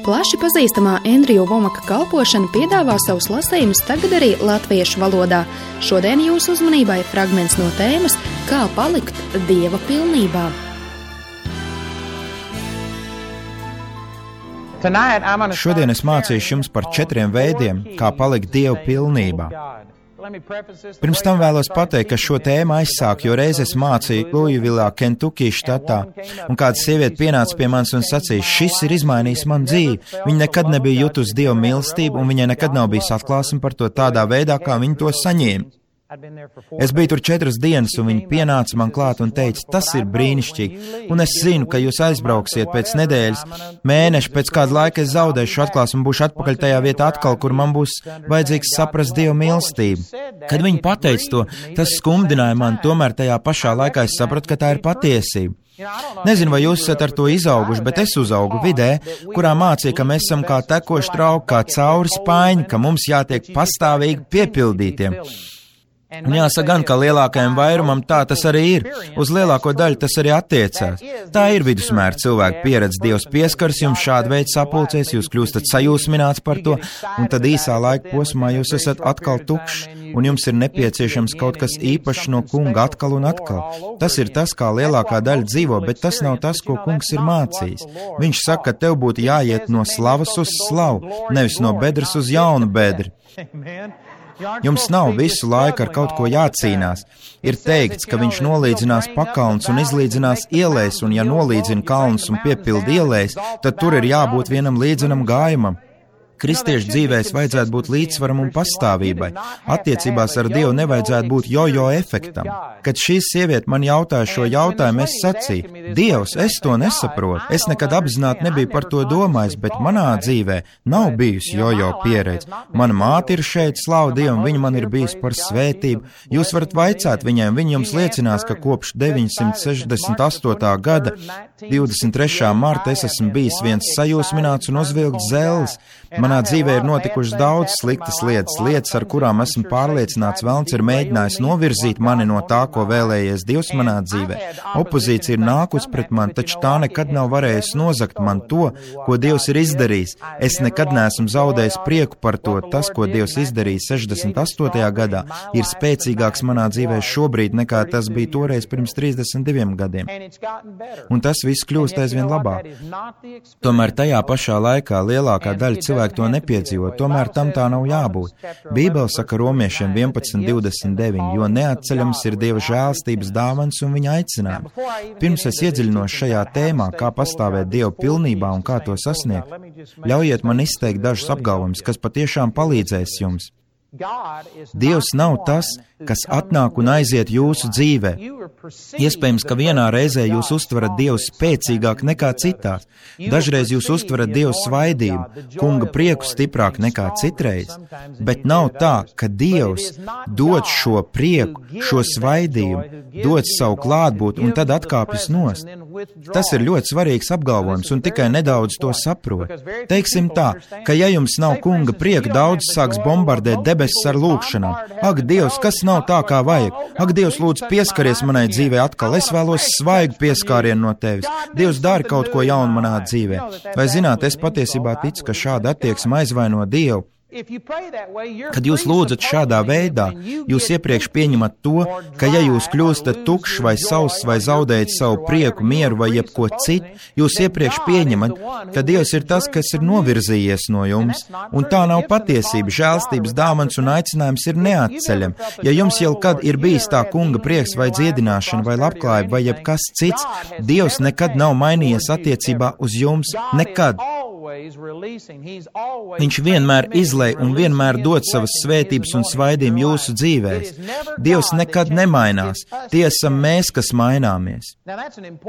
Plaši pazīstamā Andrija Vomaka kalpošana piedāvā savus lasījumus tagad arī latviešu valodā. Šodien jūsu uzmanībai fragments no tēmas Kā palikt Dieva pilnībā. Šodien es mācīšu jums par 4 veidiem, kā palikt Dieva pilnībā. Pirms tam vēlos pateikt, ka šo tēmu aizsāku, jo reiz es mācīju Lūjivilā, Kentucky štatā, un kāda sieviete pienāca pie manis un sacīja, šis ir izmainījis man dzīvi. Viņa nekad nebija jutusi Dieva mīlestību, un viņai nekad nav bijis atklāsme par to tādā veidā, kā viņa to saņēma. Es biju tur 4 dienas, un viņi pienāca man klāt un teica, tas ir brīnišķīgi, un es zinu, ka jūs aizbrauksiet pēc nedēļas, mēneša, pēc kāda laika es zaudēšu atklāsmu un būšu atpakaļ tajā vietā atkal, kur man būs vajadzīgs saprast Dieva mīlestību. Kad viņi pateica to, tas skumdināja mani, tomēr tajā pašā laikā es sapratu, ka tā ir patiesība. Nezinu, vai jūs esat ar to izauguši, bet es uzaugu vidē, kurā mācīja, ka mēs esam kā tekoši trauki, kā cauri spaiņi, ka mums jātiek pastāvīgi piepildītiem. Un jāsaka gan, ka lielākajam vairumam tā tas arī ir. Uz lielāko daļu tas arī attiecās. Tā ir vidusmēra cilvēka pieredze. Dievs pieskars jums šāda veida sapulcēs, jūs kļūstat sajūsmināts par to, un tad īsā laika posmā jūs esat atkal tukšs, un jums ir nepieciešams kaut kas īpašs no kunga atkal un atkal. Tas ir tas, kā lielākā daļa dzīvo, bet tas nav tas, ko kungs ir mācījis. Viņš saka, ka tev būtu jāiet no slavas uz slavu, nevis no bedres uz jaunu bedri. Jums nav visu laiku ar kaut ko jācīnās. Ir teikts, ka viņš nolīdzinās pakalns un izlīdzinās ielēs, un ja nolīdzina kalns un piepild ielēs, tad tur ir jābūt vienam līdzenam gājumam. Kristiešu dzīvēs vajadzētu būt līdzsvaram un pastāvībai. Attiecībās ar Dievu nevajadzētu būt jojo efektam. Kad šī sieviete man jautāja šo jautājumu, es sacīju, Dievs, es to nesaprotu. Es nekad apzināti nebiju par to domājis, bet manā dzīvē nav bijusi jojo pieredze. Mana māte ir šeit, slavu Dievam, viņa man ir bijusi par svētību. Jūs varat vaicāt viņiem, viņi jums liecinās, ka kopš 968. gada 23. marta es esmu bijis viens sajūsmināts un uzvilkts zellis. Manā dzīvē ir notikušas daudz sliktas lietas, ar kurām esmu pārliecināts, velns ir mēģinājis novirzīt mani no tā, ko vēlējies Dievs manā dzīvē. Opozīcija ir nākus pret mani, taču tā nekad nav varējusi nozagt man to, ko Dievs ir izdarījis. Es nekad neesmu zaudējis prieku par to. Tas, ko Dievs izdarīja 68. gadā, ir spēcīgāks manā dzīvē šobrīd, nekā tas bija toreiz pirms 32 gadiem. Un tas viss kļūst aizvien labāk. Tomēr tajā pašā laikā lielākā daļa cilvēku to nepiedzīvo, tomēr tam tā nav jābūt. Bībele saka Romiešiem 11:29, jo neatceļams ir Dieva žēlstības dāvans un viņa aicinājumi. Pirms es iedziļinos šajā tēmā, kā pastāvēt Dieva pilnībā un kā to sasniegt, ļaujiet man izteikt dažus apgalvojumus, kas patiešām palīdzēs jums. Dievs nav tas, kas atnāk un aiziet jūsu dzīvē. Iespējams, ka vienā reizē jūs uztverat Dievu spēcīgāk nekā citās. Dažreiz jūs uztverat Dievu svaidību, kunga prieku stiprāk nekā citreiz. Bet nav tā, ka Dievs dod šo prieku, šo svaidību, dod savu klātbūtni un tad atkāpjas nost. Tas ir ļoti svarīgs apgalvojums un tikai nedaudz to saprot. Teiksim tā, ka ja jums nav kunga prieka, daudz sāks bombardēt debesis ar lūgšanām. Ak, Dievs, kas nav tā, kā vajag? Ak, Dievs, lūdzu, pieskaries manai dzīvē atkal. Es vēlos svaigu pieskārienu no tevis. Dievs, dari kaut ko jaunu manā dzīvē. Vai zināt, es patiesībā ticu, ka šāda attieksme aizvaino Dievu. Kad jūs lūdzat šādā veidā, jūs iepriekš pieņemat to, ka ja jūs kļūstat tukšs vai sauss vai zaudējat savu prieku, mieru vai jebko citu, jūs iepriekš pieņemat, ka Dievs ir tas, kas ir novirzījies no jums, un tā nav patiesība. Žēlstības dāvans un aicinājums ir neatceļami. Ja jums jau kad ir bijis tā kunga prieks vai dziedināšana vai labklājība vai jebkas cits, Dievs nekad nav mainījies attiecībā uz jums, nekad. Viņš vienmēr izlej un vienmēr dod savas svētības un svaidījumu jūsu dzīvēs. Dievs nekad nemainās. Tie esam mēs, kas maināmies.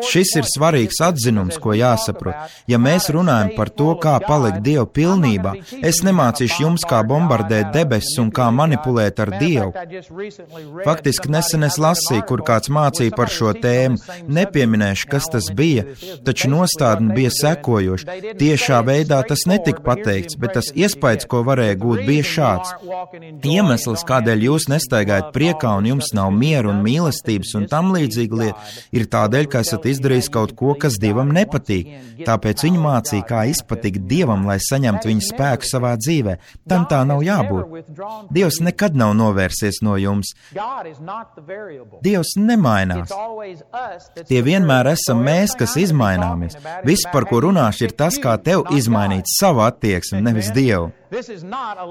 Šis ir svarīgs atzinums, ko jāsaprot. Ja mēs runājam par to, kā palikt Dievu pilnībā, es nemācīšu jums, kā bombardēt debesis un kā manipulēt ar Dievu. Faktiski nesen es lasīju, kur kāds mācīja par šo tēmu. Nepieminēšu, kas tas bija, taču nostādne bija sekojoša. Tiešā veidā tas netika pateikts, bet tas iespējas, ko varēja gūt, bija šāds. Iemesls, kādēļ jūs nestaigājat priekā un jums nav miera un mīlestības un tam līdzīga lieta, ir tādēļ, ka esat izdarījis kaut ko, kas Dievam nepatīk. Tāpēc viņi mācīja, kā izpatikt Dievam, lai saņemtu viņa spēku savā dzīvē. Tam tā nav jābūt. Dievs nekad nav novērsies no jums. Dievs nemainās. Tie vienmēr esam mēs, kas izmaināmies. Viss, par ko runāšu, ir tas, kā tev izmainīt savu attieksmi, nevis Dievu.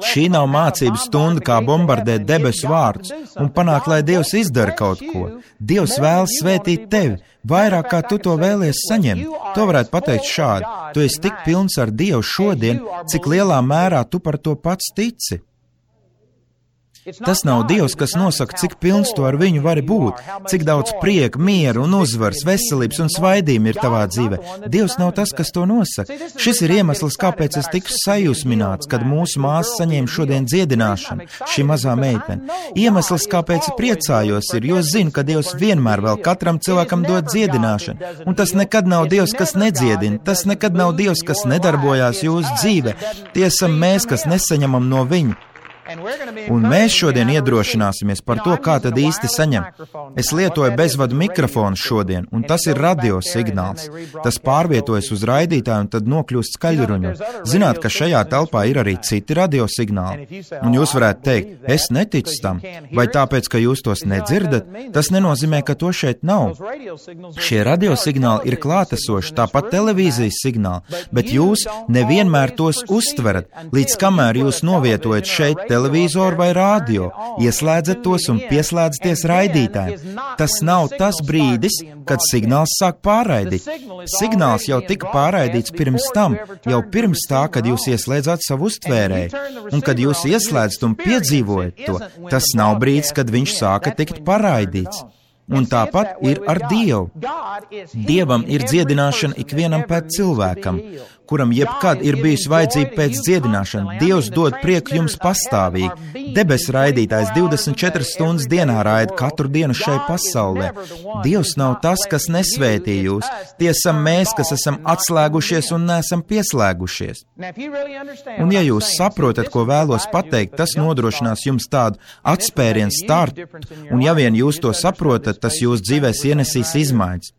Šī nav mācību stunda, kā bombardēt debesu vārdus un panākt, lai Dievs izdara kaut ko. Dievs vēlas svētīt tevi, vairāk kā tu to vēlies saņemt. To varētu pateikt šādi: tu esi tik pilns ar Dievu šodien, cik lielā mērā tu par to pats tici. Tas nav Dievs, kas nosaka, cik pilns tu ar viņu vari būt, cik daudz prieka, miera un uzvaras, veselības un svaidījuma ir tavā dzīvē. Dievs nav tas, kas to nosaka. Šis ir iemesls, kāpēc es tiku sajūsmināts, kad mūsu māsa saņēma šodien dziedināšanu, šī mazā meitene. Iemesls, kāpēc priecājos, ir, jo zinu, ka Dievs vienmēr vēl katram cilvēkam dod dziedināšanu. Un tas nekad nav Dievs, kas nedziedina, tas nekad nav Dievs, kas nedarbojās jūsu dzīvē. Tie esam mēs, kas nesaņemam no viņa. Un mēs šodien iedrošināsimies par to, kā tad īsti saņemt. Es lietoju bezvadu mikrofonu šodien, un tas ir radiosignāls. Tas pārvietojas uz raidītāju un tad nokļūst skaļruņu. Zināt, ka šajā telpā ir arī citi radiosignāli. Un jūs varētu teikt, es neticu tam, vai tāpēc, ka jūs tos nedzirdat, tas nenozīmē, ka to šeit nav. Šie radiosignāli ir klātesoši, tāpat televīzijas signāli, bet jūs nevienmēr tos uztverat, līdz kamēr jūs novietojat šeit televizoru vai rādio, ieslēdzat tos un pieslēdzaties raidītājiem. Tas nav tas brīdis, kad signāls sāk pārraidīt. Signāls jau tika pārraidīts pirms tam, jau pirms tā, kad jūs ieslēdzat savu uztvērēju. Un kad jūs ieslēdzat un piedzīvojat to, tas nav brīdis, kad viņš sāka tikt pārraidīts. Un tāpat ir ar Dievu. Dievam ir dziedināšana ikvienam pēc cilvēkam, kuram jebkad ir bijusi vajadzība pēc dziedināšana. Dievs dod prieku jums pastāvīgi. Debesu raidītājs 24 stundas dienā raida katru dienu šai pasaulē. Dievs nav tas, kas nesvētī jūs. Tie esam mēs, kas esam atslēgušies un neesam pieslēgušies. Un ja jūs saprotat, ko vēlos pateikt, tas nodrošinās jums tādu atspērienu startu. Un ja vien jūs to saprotat, tas jūsu dzīvēs ienesīs izmaiņas.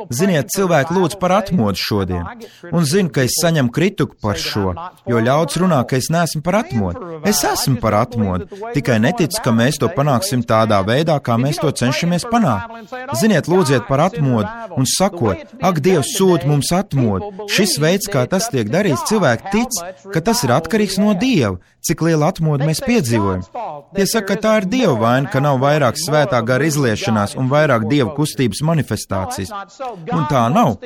Ziniet, cilvēki lūdz par atmodu šodien, un zinu, ka es saņemu kritiku par šo, jo ļauds runā, ka es neesmu par atmodu. Es esmu par atmodu, tikai neticu, ka mēs to panāksim tādā veidā, kā mēs to cenšamies panākt. Ziniet, lūdziet par atmodu un sakot, ak, Dievs sūta mums atmodu. Šis veids, kā tas tiek darīts, cilvēki tic, ka tas ir atkarīgs no Dieva, cik liela atmodu mēs piedzīvojam. Tie saka, ka tā ir Dieva vaina, ka nav vairāk svētā gara izliešanās un vairāk Dieva kustības manifestācijas. Un tā nav.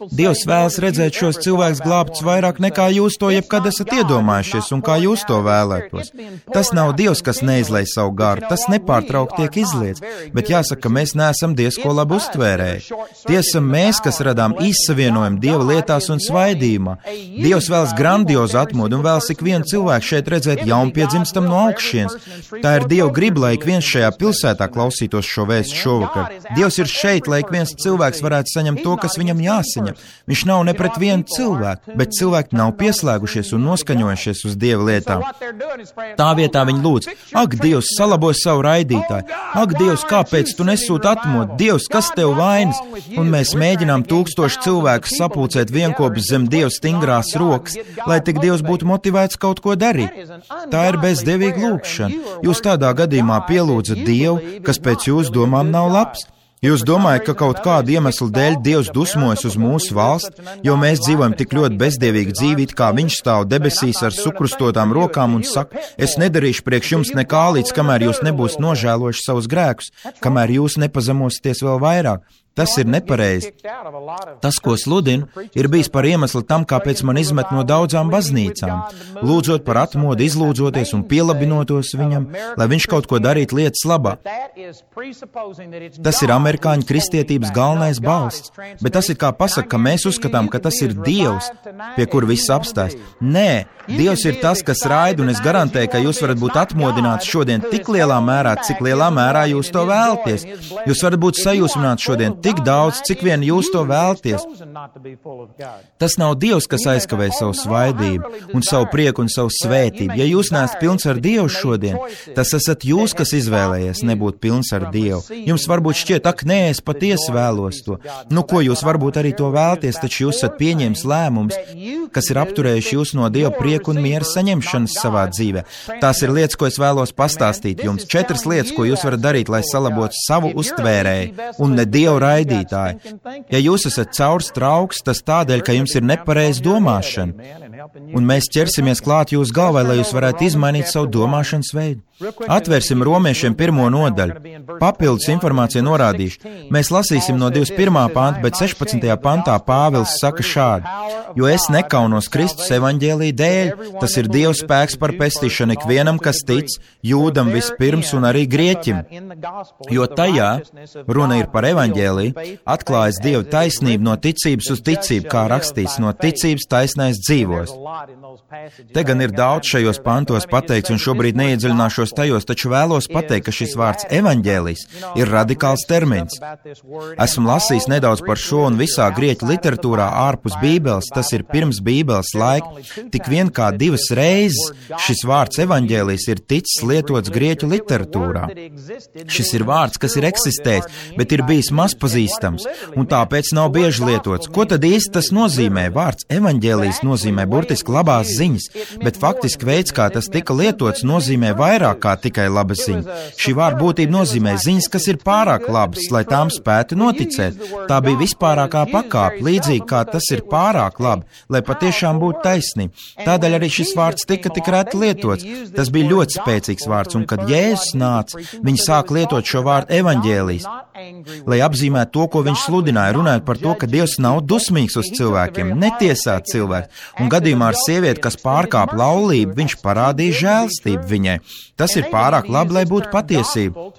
Dievs vēlas redzēt šos cilvēkus glābtus vairāk nekā jūs to jebkad esat iedomājušies un kā jūs to vēlētos. Tas nav Dievs, kas neizlej savu garu, tas nepārtraukti tiek izliets, bet jāsaka, ka mēs neesam Dievs, ko labi uztvērēji. Tie esam mēs, kas radām izsavienojumu Dieva lietās un svaidījumā. Dievs vēlas grandiozu atmodu un vēlas ikvienu cilvēku šeit redzēt jaunpiedzimstam no augšienes. Tā ir Dieva griba, lai ik viens šajā pilsētā klausītos šo vēstu šovakar. Dievs ir šeit, lai ik viens cilvēks varētu saņemt to, kas viņam jāsaņem. Viņš nav ne pret vienu cilvēku, bet cilvēki nav pieslēgušies un noskaņojušies uz Dieva lietām. Tā vietā viņi lūdz, ak, Dievs, salabo savu raidītāju. Ak, Dievs, kāpēc tu nesūti atmodu? Dievs, kas tev vainas? Un mēs mēģinām 1000 cilvēku sapulcēt vienkopus zem Dieva stingrās rokas, lai tik Dievs būtu motivēts kaut ko darīt. Tā ir bezdevīga lūkšana. Jūs tādā gadījumā pielūdzat Dievu, kas pēc jūsu domām nav labs. Jūs domājat, ka kaut kādu iemeslu dēļ Dievs dusmojas uz mūsu valsti, jo mēs dzīvojam tik ļoti bezdevīgu dzīvi, it kā viņš stāv debesīs ar sukrustotām rokām un saka, es nedarīšu priekš jums nekā līdz, kamēr jūs nebūs nožēlojuši savus grēkus, kamēr jūs nepazemosieties vēl vairāk. Tas ir nepareizi. Tas, ko sludinu, ir bijis par iemeslu tam, kāpēc man izmet no daudzām baznīcām, lūdzot par atmodu, izlūdzoties un pielabinotos viņam, lai viņš kaut ko darītu lietas labā. Tas ir amerikāņu kristietības galvenais balsts, bet tas ir kā pasaka, ka mēs uzskatām, ka tas ir Dievs, pie kura viss apstājas. Nē, Dievs ir tas, kas raida, un es garantēju, ka jūs varat būt atmodināti šodien tik lielā mērā, cik lielā mērā jūs to vēlaties. Jūs varat būt sajūsmināti šodien tik daudz, cik vien jūs to vēlties. Tas nav Dievs, kas aizkavē savu svaidību un savu prieku un savu svētību. Ja jūs neesat pilns ar Dievu šodien, tas esat jūs, kas izvēlējies nebūt pilns ar Dievu. Jums varbūt šķiet, ak, nē, es patiesi vēlos to. Nu, ko jūs varbūt arī to vēlties, taču jūs esat pieņēmis lēmumus, kas ir apturējuši jūs no Dieva prieku un miera saņemšanas savā dzīvē. Tās ir lietas, ko es vēlos pastāstīt jums. 4 lietas, ko jūs varat darīt, lai salabotu savu uztvērēju un ne Dievu raidītāju. Ja jūs esat caurs trauks, tas tādēļ, ka jums ir nepareiza domāšana. Un mēs ķersimies klāt jūsu galvai, lai jūs varētu izmainīt savu domāšanas veidu. Atvērsim Romiešiem 1. nodaļu. Papildus informācija norādīšu. Mēs lasīsim no 21. panta, bet 16. pantā Pāvils saka šādi: jo es nekaunos Kristus evaņģēlija dēļ, tas ir Dieva spēks par pestīšanu ikvienam, kas tic, jūdam vispirms un arī grieķim. Jo tajā, runa ir par evaņģēliju, atklājas Dieva taisnība no ticības uz ticību, kā rakstīts, no ticības taisnais dzīvos. Te gan ir daudz šajos pantos pateikts, un šobrīd neiedziļināšos tajos, taču vēlos pateikt, ka šis vārds evaņģēlijs ir radikāls termins. Esmu lasījis nedaudz par šo, un visā grieķu literatūrā ārpus Bībeles, tas ir pirms Bībeles laika, tik vien kā 2 reizes šis vārds evaņģēlijs ir ticis lietots grieķu literatūrā. Šis ir vārds, kas ir eksistējis, bet ir bijis mazpazīstams, un tāpēc nav bieži lietots. Ko tad īsti tas nozīmē? Vārds evaņģēlijs nozīmē burtiski labās ziņas, bet faktiski veids, kā tas tika lietots, nozīmē vairāk kā tikai labas ziņas. Šī vārda būtība nozīmē ziņas, kas ir pārāk labas, lai tām spētu noticēt. Tā bija vispārākā pakāpe, līdzīgi kā tas ir pārāk labi, lai patiešām būtu taisnība. Tādēļ arī šis vārds tika tik reti lietots. Tas bija ļoti spēcīgs vārds, un kad Jēzus nāca, viņi sāka lietot šo vārdu evaņģēlijs, lai apzīmētu to, ko viņš sludināja, runājot par to, ka Dievs nav dusmīgs uz cilvēkiem, netiesā cilvēku, un gadījumā ar sievieti, kas pārkāp laulību, viņš parādīja žēlstību viņai. Tas ir pārāk labi, lai būtu patiesība.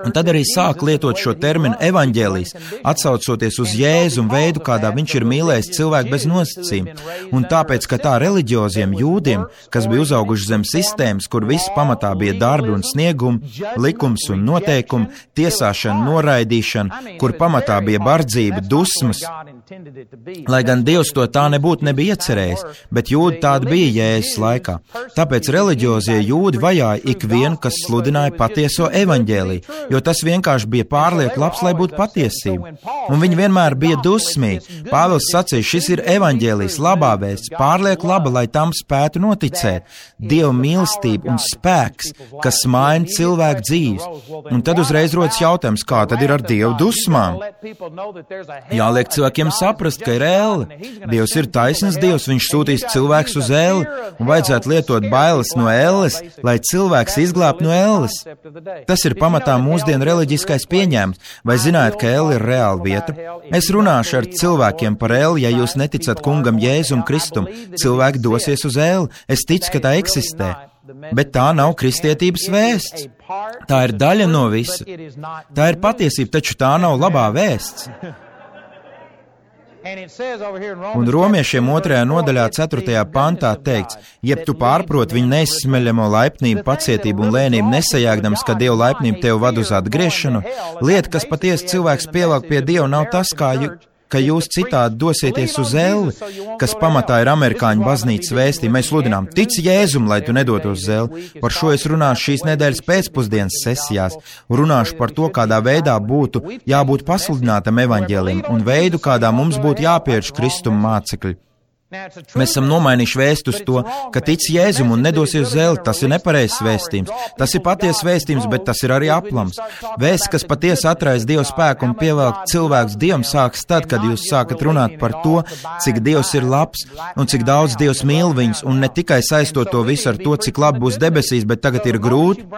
Un tad arī sāk lietot šo terminu evaņģēlijs, atsaucoties uz Jēzu un veidu, kādā viņš ir mīlējis cilvēku bez nosacījuma. Un tāpēc, ka tā reliģioziem jūdiem, kas bija uzauguši zem sistēmas, kur viss pamatā bija darbi un sniegumi, likums un noteikumi, tiesāšana, noraidīšana, kur pamatā bija bardzība, dusmas, lai gan Dievs to tā nebija iecerējis, bet jūdi tādi bija Jēzus laikā. Tāpēc reliģiozie jūdi vajāja ikvienu, kas sludināja patieso evaņģēliju, jo tas vienkārši bija pārlieku labs, lai būtu patiesība. Un viņi vienmēr bija dusmīgi. Pāvils sacīja, šis ir evaņģēlijs, labā vēsts, pārlieku laba, lai tam spētu noticēt. Dieva mīlestība un spēks, kas maina cilvēku dzīves. Un tad uzreiz rodas jautājums, kā tad ir ar Dievu dusmām? Jāliek cilvēkiem saprast, ka ir elle. Dievs ir taisns Dievs, viņš sūtīs cilvēks uz elli, un vajadzētu lietot bailes no elles, lai cilvēks izglābtu no elles. Tas ir pamatā mūsdienu reliģiskais pieņēmums. Vai zināt, ka elle ir reāla vieta? Es runāšu ar cilvēkiem par elli, ja jūs neticat kungam Jēzum Kristum. Cilvēki dosies uz elli. Es ticu, ka tā eksistē. Bet tā nav kristietības vēsts. Tā ir daļa no visa. Tā ir patiesība, taču tā nav labā vēsts. Un Romiešiem 2. nodaļā 4. pantā teikts, jeb tu pārprot viņu neizsmeļamo laipnību, pacietību un lēnību, nesajāgdams, ka Dieva laipnība tev vad uz atgriešanu. Lieta, kas patiesi cilvēks pievelk pie Dieva, nav tas, ka jūs citādi dosieties uz elli, kas pamatā ir amerikāņu baznīcas vēstījuma. Mēs sludinām, tic Jēzum, lai tu nedotos uz elli. Par šo es runāšu šīs nedēļas pēcpusdienas sesijās. Runāšu par to, kādā veidā būtu jābūt pasludinātam evaņģēlim un veidu, kādā mums būtu jāpieņem Kristuma mācekļi. Mēs esam nomainījuši vēstu uz to, ka tic Jēzum un nedosies uz elli. Tas ir nepareizs vēstījums. Tas ir patiesas vēstījums, bet tas ir arī aplams. Vēsts, kas patiesi atraisa Dieva spēku un pievelk cilvēkus Dievam, sākas tad, kad jūs sākat runāt par to, cik Dievs ir labs un cik daudz Dievs mīl viņus, un ne tikai saistot to visu ar to, cik labi būs debesīs, bet tagad ir grūti.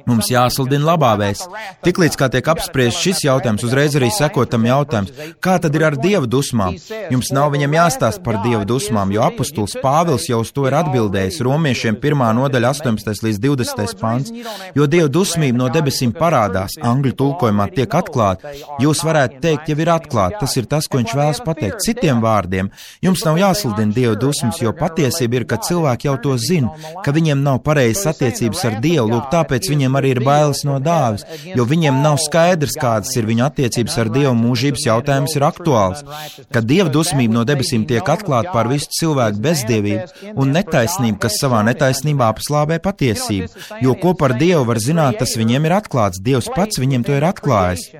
Mums jāsludina labā vēsts. Tiklīdz kā tiek apspriests šis jautājums, uzreiz arī sekotam jautājums, kā tad ir ar Dieva dusmām? Jums nav viņam jāstāsta par Dieva dusmām, jo apustulis Pāvils jau uz to ir atbildējis Romiešiem 1. nodaļa 18. līdz 20. pants. Jo Dieva dusmība no debesīm parādās, angļu tulkojumā tiek atklāta. Jūs varētu teikt, jau ir atklāta, tas ir tas, ko viņš vēlas pateikt. Citiem vārdiem, jums nav jāsludina Dieva dusmas, jo patiesība ir, ka cilvēki jau to zina, ka viņiem nav pareizas attiecības ar Dievu, lūk, tāpēc viņiem arī ir bailes no dāvis, jo viņiem nav skaidrs, kādas ir viņu attiecības ar Dievu, mūžības jautājums ir aktuāls. Kad Dieva dusmība no debesīm tiek atklāta pār visu cilvēku bezdievību un netaisnību, kas savā netaisnībā paslāpē patiesību, jo ko par Dievu var zināt, tas viņiem ir atklāts, Dievs pats viņiem to ir atklājis.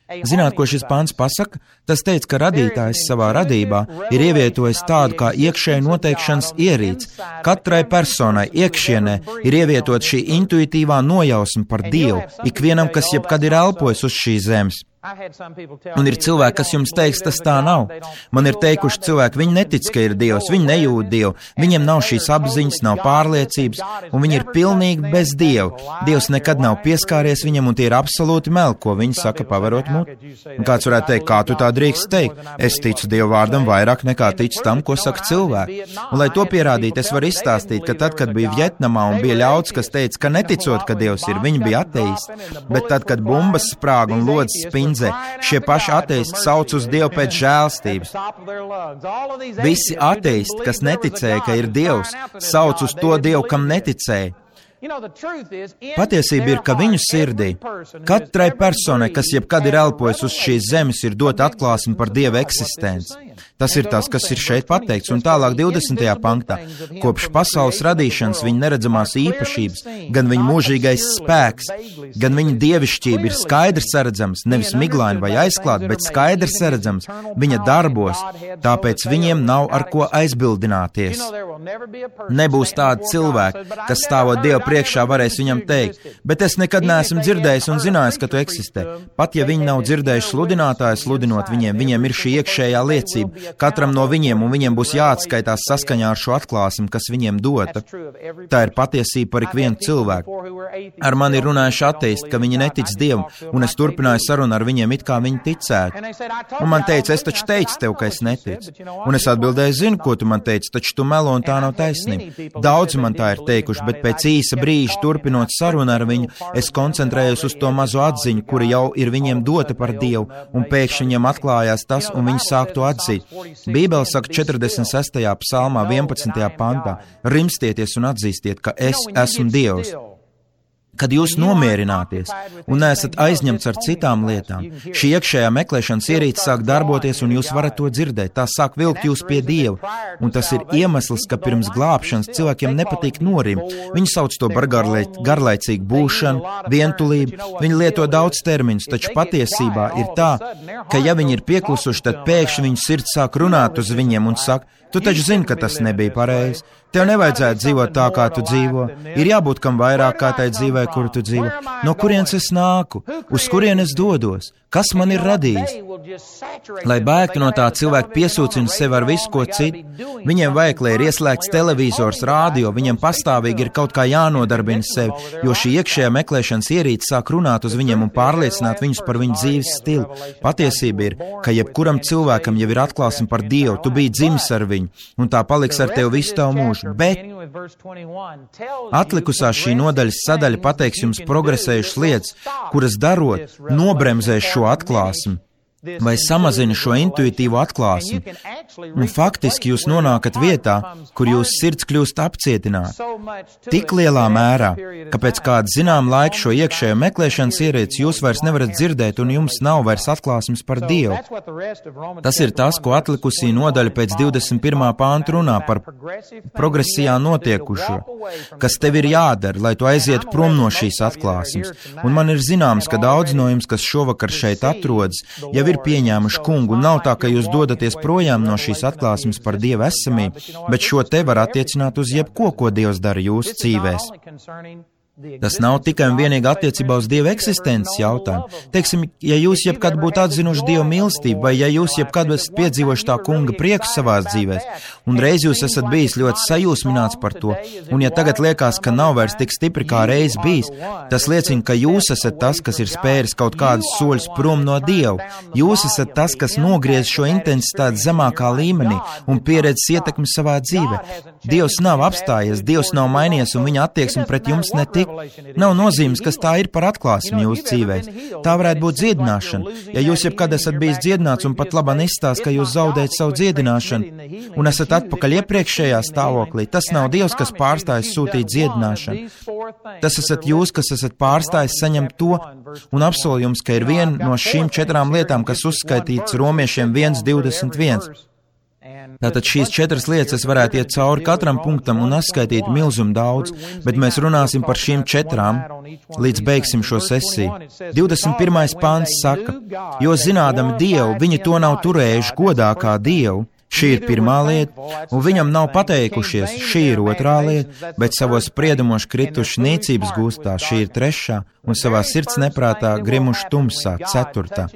Zināt, ko šis pāns pasaka? Tas teica, ka radītājs savā radībā ir ievietojis tādu kā iekšēju noteikšanas ierīci. Katrai personai iekšienē ir ievietot šī intuitīvā nojausma par Dievu, ikvienam, kas jebkad ir elpojis uz šīs zemes. Un ir cilvēki, kas jums teiks, tas tā nav. Man ir teikuši cilvēki, viņi netic, ka ir Dievs, viņi nejūt Dievu, viņiem nav šīs apziņas, nav pārliecības, un viņi ir pilnīgi bez Dieva. Dievs nekad nav pieskāries viņam, un tie ir absolūti meli, ko viņi saka, pavarot muti. Un kāds varētu teikt, kā tu tā drīkst teikt? Es ticu Dieva vārdam vairāk nekā ticu tam, ko saka cilvēki. Un, lai to pierādītu, es varu izstāstīt, ka tad, kad bija Vjetnamā un bija ļauds, kas teica, ka neticot, ka Dievs ir, viņi bija ateisti, bet tad, kad bumbas sprāga un lodzes spindz, šie paši ateisti sauc uz Dievu pēc žēlstības. Visi ateisti, kas neticēja, ka ir Dievs, sauc uz to Dievu, kam neticēja. Patiesība ir, ka viņu sirdī, katrai personai, kas jebkad ir elpojis uz šīs zemes, ir dota atklāsme par Dieva eksistenci. Tas ir tas, kas ir šeit pateikts, un tālāk 20. panktā. Kopš pasaules radīšanas viņa neredzamās īpašības, gan viņa mūžīgais spēks, gan viņa dievišķība ir skaidrs saredzams, nevis miglaini vai aizklāt, bet skaidrs saredzams viņa darbos, tāpēc viņiem nav ar ko aizbildināties. Nebūs tādi cilvēki, kas stāvot Dievu priekšā varēs viņam teikt, bet es nekad neesmu dzirdējis un zinājis, ka tu eksistē. Pat ja viņi nav dzirdējuši sludinātāju sludinot viņiem ir šī iekšējā liecība. Katram no viņiem, un viņiem būs jāatskaitās saskaņā ar šo atklāsmi, kas viņiem dota. Tā ir patiesība par ikvienu cilvēku. Ar mani runājuši ateisti, ka viņi netic Dievam, un es turpināju sarunu ar viņiem, it kā viņi ticētu. Un man teica, es taču teicu tev, ka es neticu. Un es atbildēju, zinu, ko tu man teici, taču tu melo un tā nav taisnība. Daudzi man tā ir teikuši, bet pēc īsa brīža turpinot sarunu ar viņu, es koncentrējos uz to mazo atziņu, kura jau ir viņiem dota par Dievu, un pēkšņi viņiem atklājās tas, un viņi sāk to atzīt. Bībele saka 46. psalmā 11. pantā: rimstieties un atzīstiet, ka es esmu Dievs. Kad jūs nomierināties un neesat aizņemts ar citām lietām, šī iekšējā meklēšanas ierīce sāk darboties un jūs varat to dzirdēt. Tā sāk vilkt jūs pie Dieva. Un tas ir iemesls, ka pirms glābšanas cilvēkiem nepatīk norimt. Viņi sauc to par garlaicīgu būšanu, vientulību. Viņi lieto daudz terminus, taču patiesībā ir tā, ka ja viņi ir pieklusuši, tad pēkšņi viņu sirds sāk runāt uz viņiem un saka: tu taču zini, ka tas nebija pareizi. Tev nevajadzētu dzīvot tā, kā tu dzīvo. Ir jābūt kam vairāk kā tai dzīvē, kuru tu dzīvo. No kurienes es nāku? Uz kurienes es dodos? Kas man ir radījis? Lai bēgtu no tā, cilvēki piesūcina sevi ar visu, ko citu. Viņiem vajag, lai ir ieslēgts televizors, rādio, viņiem pastāvīgi ir kaut kā jānodarbina sevi, jo šī iekšējā meklēšanas ierīce sāk runāt uz viņiem un pārliecināt viņus par viņu dzīves stilu. Patiesība ir, ka jebkuram cilvēkam jau ir atklāsme par Dievu, tu biji dzimis ar viņu, un tā paliks ar tevi visu tavu mūžu. Bet atlikusā šī nodaļas sadaļa pateiks jums progresējušas lietas, kuras darot, nobremzēs šo atklāsmi vai samazina šo intuitīvo atklāsmi. Un faktiski jūs nonākat vietā, kur jūsu sirds kļūst apcietināta. Tik lielā mērā, ka pēc kāda zinām laika šo iekšējo meklēšanas ierīci jūs vairs nevarat dzirdēt un jums nav vairs atklāsmes par Dievu. Tas ir tas, ko atlikusī nodaļa pēc 21. pānta runā par progresijā notiekušo, kas tev ir jādara, lai tu aizietu prom no šīs atklāsmes. Un man ir zināms, ka daudz no jums, kas šovakar šeit atrodas, jau ir pieņēmuši kungu, un nav tā, ka jūs dodaties projām no šīs atklāsmes par Dieva esamību, bet šo te var attiecināt uz jebko, ko Dievs dara jūsu dzīvēs. Tas nav tikai un vienīgi attiecībā uz Dieva eksistences jautājumu. Teiksim, ja jūs jebkad būtu atzinuši Dieva mīlestību, vai ja jūs jebkad esat piedzīvojuši tā kunga prieku savās dzīvēs, un reiz jūs esat bijis ļoti sajūsmināts par to, un ja tagad liekas, ka nav vairs tik stipri kā reiz bijis, tas liecina, ka jūs esat tas, kas ir spēris kaut kādus soļus prom no Dieva. Jūs esat tas, kas nogriez šo intensitāti zemākā līmenī un pieredzes ietekmi savā dzīvē. Dievs nav apstājies, Dievs nav mainījies, un viņa attieksme pret jums netika. Nav nozīmes, kas tā ir par atklāsmi jūsu dzīvēs. Tā varētu būt dziedināšana. Ja jūs jebkad esat bijis dziedināts un pat labāk izstāst, ka jūs zaudējat savu dziedināšanu un esat atpakaļ iepriekšējā stāvoklī, tas nav Dievs, kas pārstājas sūtīt dziedināšanu. Tas esat jūs, kas esat pārstājis saņemt to, un apsolu jums, ka ir viena no šīm 4 lietām, kas uzskaitīts Romiešiem 1:21. Tātad šīs 4 lietas es varētu iet cauri katram punktam un atskaitīt milzumu daudz, bet mēs runāsim par šīm 4, līdz beigsim šo sesiju. 21. pāns saka, jo zinādami Dievu, viņi to nav turējuši godā kā Dievu. Šī ir pirmā lieta, un viņam nav pateikušies, šī ir otrā lieta, bet savos spriedumos krituši niecības gūstā, šī ir trešā, un savā sirds neprātā grimuši tumsā, 4.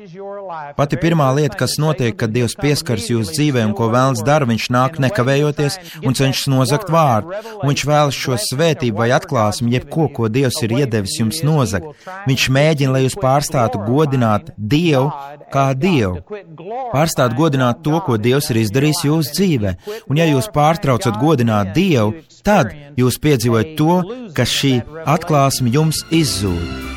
Pati pirmā lieta, kas notiek, kad Dievs pieskaras jūsu dzīvē un ko vēlns dara, viņš nāk nekavējoties un cenšas nozagt vārdu, un viņš vēlas šo svētību vai atklāsmi, jebko, ko Dievs ir iedevis jums nozagt. Viņš mēģina, lai jūs pārstātu godināt Dievu kā Dievu. Pārstāt godināt to, ko Dievs ir izdarījis jūsu dzīvē, un ja jūs pārtraucat godināt Dievu, tad jūs piedzīvojat to, ka šī atklāsme jums izzūd.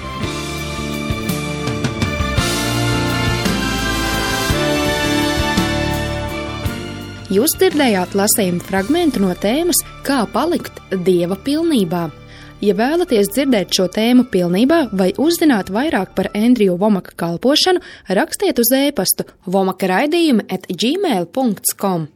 Jūs dzirdējāt lasījumu fragmentu no tēmas Kā palikt Dieva pilnībā. Ja vēlaties dzirdēt šo tēmu pilnībā vai uzzināt vairāk par Andriju Vomaka kalpošanu, rakstiet uz e-pastu vomaka@gmail.com.